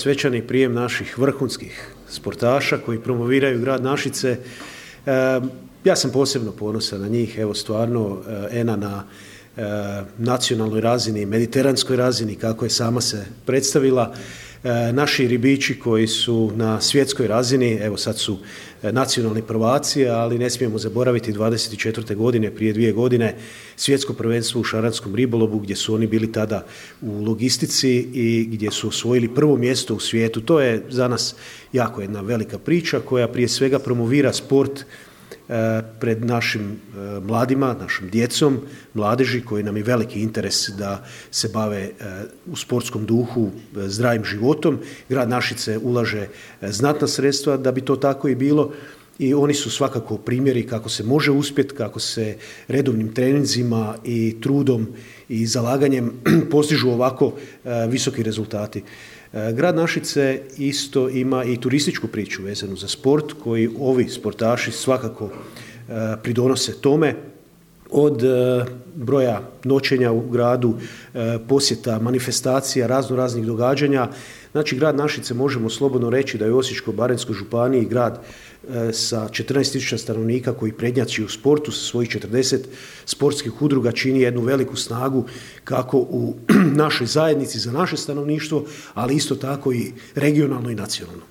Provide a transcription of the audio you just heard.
Svečani prijem naših vrhunskih sportaša koji promoviraju grad Našice. Ja sam posebno ponosan na njih, evo stvarno Ena na nacionalnoj razini, mediteranskoj razini, kako je sama se predstavila. Naši ribiči koji su na svjetskoj razini, evo sad su nacionalni prvaci, ali ne smijemo zaboraviti 24. godine, prije 2 godine, svjetsko prvenstvo u šaranskom ribolovu gdje su oni bili tada u logistici i gdje su osvojili prvo mjesto u svijetu. To je za nas jako jedna velika priča koja prije svega promovira sport pred našim mladima, našom djecom, mladeži koji nam je veliki interes da se bave u sportskom duhu zdravim životom. Grad Našice ulaže znatna sredstva da bi to tako i bilo i oni su svakako primjeri kako se može uspjeti, kako se redovnim treninzima i trudom i zalaganjem postižu ovako visoki rezultati. Grad Našice isto ima i turističku priču vezanu za sport koji ovi sportaši svakako pridonose tome, od broja noćenja u gradu, posjeta, manifestacija, raznih događanja. Znači, grad Našice možemo slobodno reći da je u Osječko-baranjskoj županiji grad sa 14.000 stanovnika koji prednjači u sportu sa svojih 40 sportskih udruga čini jednu veliku snagu kako u našoj zajednici za naše stanovništvo, ali isto tako i regionalno i nacionalno.